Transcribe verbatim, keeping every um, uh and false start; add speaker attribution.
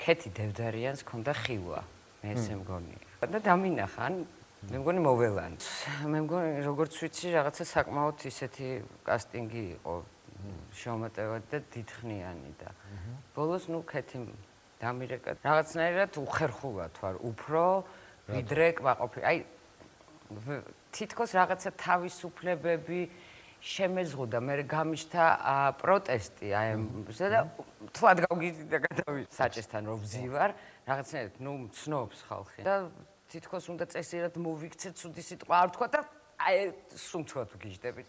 Speaker 1: ქეთი დევდარიანს ქონდა ხილვა, მე ესე მგონია. და დამინახა, ან მე მგონი მოველან. მე მგონი როგორც ვიცი, რაღაცა საკმაოდ ისეთი კასტინგი იყო შემოტევად და დიდხნიანი და ბოლოს ნუ ქეთი დამირეკა. რაღაცნაირად უხერხულად ვარ, უფრო ვიდრე კმაყოფილი. აი თითქოს რაღაცა თავისუფლებები შემეზღუდა, მე გამიშთა პროტესტი აი ამზე და თვად გავგიდი და გადავი საჭესთან რომ ვზივარ, რაღაცნაირად ნუ მცნობს ხალხი და თითქოს უნდა წესიერად მოვიქცე ცუდი სიტყვა არ ვთქვა და აი სუმცვრად ვგიჟდებით.